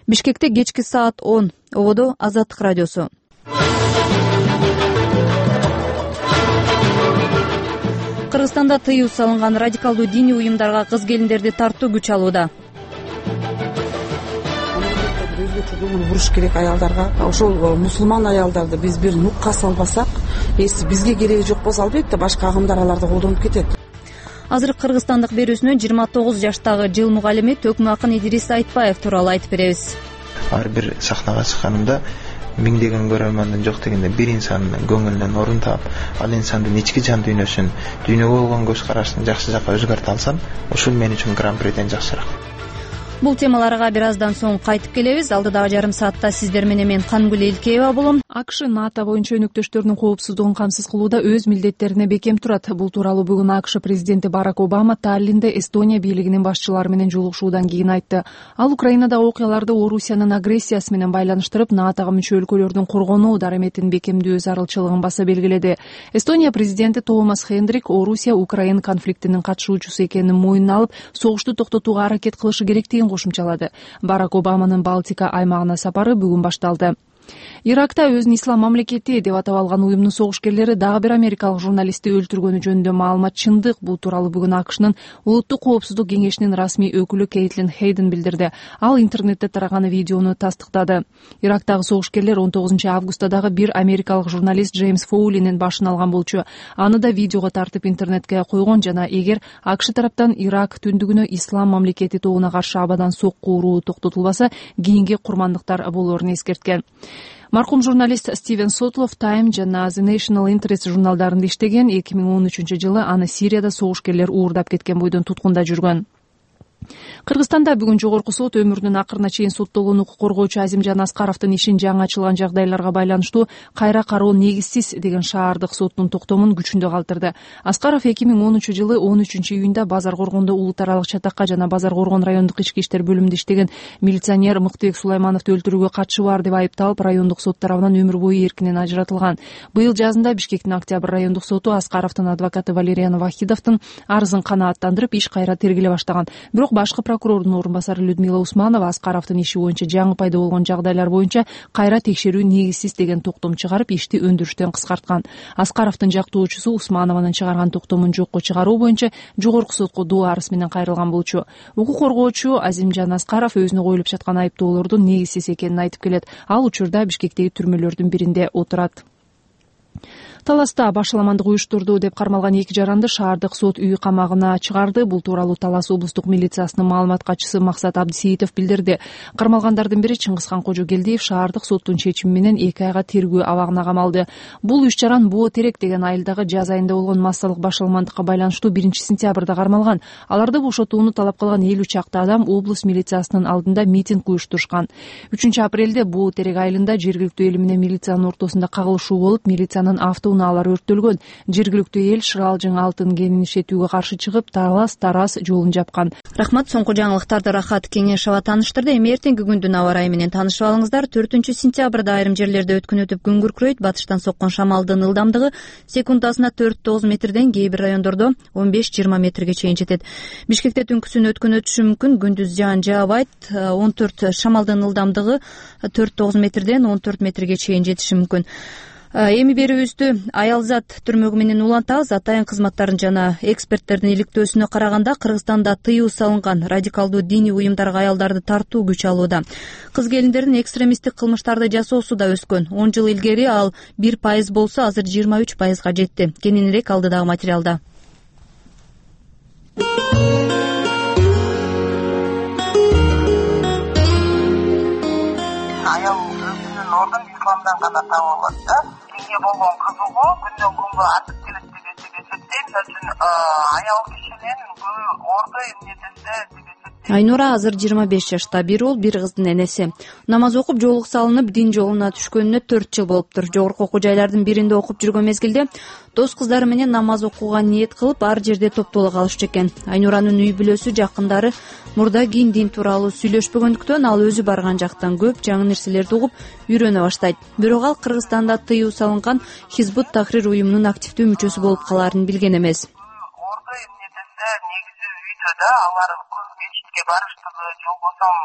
Бишкекте кечки саат 10. Ободо Азаттык радиосу. Кыргызстанда тыюу салынган радикалдуу диний уюмдарга кыз келиндерди тартуу күч алууда. Өзгөчө көңүл буруш керек аялдарга. Ошол мусулман аялдарды биз бир нукка салбасак, бизге кереги жок болсо, албетте башка агымдар аларды колдонуп кетет. Азыр Кыргызстандык берүүсүнө 29 жаштагы жыл мугалими Төкмө акын Идирис Айтбаев тууралуу айтып беребиз. Ар бир сахнага чыкканымда миңдеген көрөрмандын жок дегенде бир инсандын көңүлүнөн орун таап, ал инсандын ички жан дүйнөсүн, дүйнөгө болгон көз карашын жакшы жакка өзгөртө алсам, ушул мен үчүн гран-приден жакшыраак. Бул темаларга бир аздан соң кайтып келебиз. Алдыдагы жарым саатта сиздер менен мен Кангүл Элкеева болом. АКШ НАТО боюнча өнөктөштөрүнүн коопсуздугун камсыз кылууда өз милдеттерине бекем турат. Бул тууралуу бүгүн АКШ президенти Барак Обама Таллинде Эстония бийлигинин башчылары менен жолугушуудан кийин айтты. Ал Украинадагы окуяларды Орусиянын агрессиясы менен байланыштырып, НАТОго мүчө өлкөлөрдүн коргонуу дараметин бекемдөө зарылчылыгын баса белгиледи. Эстония президенти Томас Хендрик Орусия Украина конфликтинин катышуучусу экенин мойнуна алып, согушту токтотууга аракет кылышы керектигин кошумчалады. Барак Обаманын Балтика аймагына сапары бүгүн башталды. Иракта өзүн ислам мамлекети деп атап алган уюмдун согушкерлери дагы бир америкалык журналистти өлтүргөнү жөнүндө маалымат чындык. Бул тууралуу бүгүн АКШнын улуттук коопсуздук кеңешинин расмий өкүлү Кейтлин Хейден билдирди. Ал интернетте тараган видеону тастыктады. Ирактагы согушкерлер 19 августта дагы бир америкалык журналист Джеймс Фоулинин башын алган болчу. Аны да видеого тартып интернетке койгон жана эгер АКШ тараптан Ирак түндүгүнө ислам мамлекети тобуна каршы абадан сокку уруу токтотулбаса, кийинки курмандыктар болоорун эскерткен. Маркум журналист Стивен Сотлов Time жана The National Interest журналдарында иштеген. 2013-жылы аны Сирияда согушкерлер уурдап кеткен бойдон туткунда жүргөн. Кыргызстанда бүгүн жогорку сот өмүрүнүн акырына чейин соттолгон укук коргоочу Азимжан Аскаровдун ишин жаңы ачылган жагдайларга байланыштуу кайра кароо негизсиз деген шаардык соттун токтомун күчүндө калтырды. Аскаров 2013-жылы 13-июнда Базар Коргондо улут аралык чатакка жана Базар Коргон райондук ички иштер бөлүмүндө иштеген милиционер Мыктыбек Сулаймановду өлтүрүүгө катышы бар деп айыпталып, райондук сот тарабынан өмүр бою эркинен ажыратылган. Быйыл жазында Бишкектин Октябрь райондук соту Аскаровдун адвокаты Валериан Вахидовдун арызын канааттандырып, иш кайра тергеле баштаган. Бирок башкы прокурордун орун басары Людмила Усманова Аскаровдун иши боюнча жаңы пайда болгон жагдайлар боюнча кайра текшерүү негизсиз деген токтом чыгарып, ишти өндүрүштөн кыскарткан. Аскаровдун жактоочусу Усманованын чыгарган токтомун жокко чыгаруу боюнча жогорку сотко доо арыз менен кайрылган болчу. Укук коргоочу Азимжан Аскаров өзүнө коюлуп жаткан айыптоолордун негизсиз экенин айтып келет. Ал учурда Бишкектеги түрмөлөрдүн биринде отурат. Таласта башаламандык уюштурду деп кармалган 2 жаранды шаардык сот үй камагына чыгарды. Бул тууралуу Талас облустук милициясынын маалымат катчысы Максат Абдисеитов билдирди. Кармалгандардын бири Чыңгызхан Кожогелдиев шаардык соттун чечими менен 2 айга тергөө абагына камалды. Бул 3 жаран Боо Терек деген айылдагы жаз айында болгон массалык башаламандыкка байланыштуу 1-сентябрда кармалган. Аларды бошотууну талап кылган 50 чакты адам облус милициясынын алдында митинг уюштурушкан. 3-апрелде Боо Терек айылында жергиликтүү эл менен милициянын ортосунда кагылышуу болуп, милициянын автоунаалары өрттөлгөн. Жергиликтүү эл Шыралжың алтын кенин иштетүүгө каршы чыгып, Талас-Тарас жолун жапкан. Рахмат, соңку жаңылыктарды Рахат Кеңешова тааныштырды. Эми эртеңки күндүн аба ырайы менен таанышып алыңыздар. 4-сентябрда айрым жерлерде өткөн өтүп күн күркүрөйт. Батыштан соккон шамалдын ылдамдыгы секундасына 4-9 метрден, кээ бир райондордо 15-20 метрге чейин жетет. Бишкекте түнкүсүн өткөн өтүшү мүмкүн. Күндүз жаан жаабайт. 14 шамалдын ылдамдыгы 4-9 метрден 14 метрге чейин жетиши мүмкүн. Эми берүүбүздү Аялзат түрмөгү менен улантабыз. Атайын кызматтардын жана эксперттердин иликтөөсүнө караганда, Кыргызстанда тыюу салынган радикалдуу диний уюмдарга аялдарды тартуу күч алууда. Кыз келиндердин экстремисттик кылмыштарды жасоосу да өскөн. 10 жыл илгери ал 1% болсо, азыр 23%га жетти. Кененирээк алдыдагы материалда. Аял өзүнүн ордун исламдан гана таап алат да. Динге болгон кызыгуу күндөн күнгө артып келет деген эсептейм. Мисалы үчүн аял кишинин орду эмнедесе деген эсептейм. Айнура азыр 25 жашта, бир уул, бир кыздын энеси. Намаз окуп, жоолук салынып, дин жолуна түшкөнүнө 4 жыл болуптур. Жогорку окуу жайлардын биринде окуп жүргөн мезгилде дос кыздары менен намаз окууга ниет кылып, ар жерде топтоло калышчу экен. Айнуранын үй бүлөсү, жакындары мурда кийин дин тууралуу сүйлөшпөгөндүктөн ал өзү барган жактан көп жаңы нерселерди угуп, үйрөнө баштайт. Бирок ал Кыргызстанда тыюу салынган Хизбут Тахрир уюмунун активдүү мүчөсү болуп калаарын билген эмес. Орду эмнедесе негизи үйдө да, алар мечитке барыштыгы, жолбосом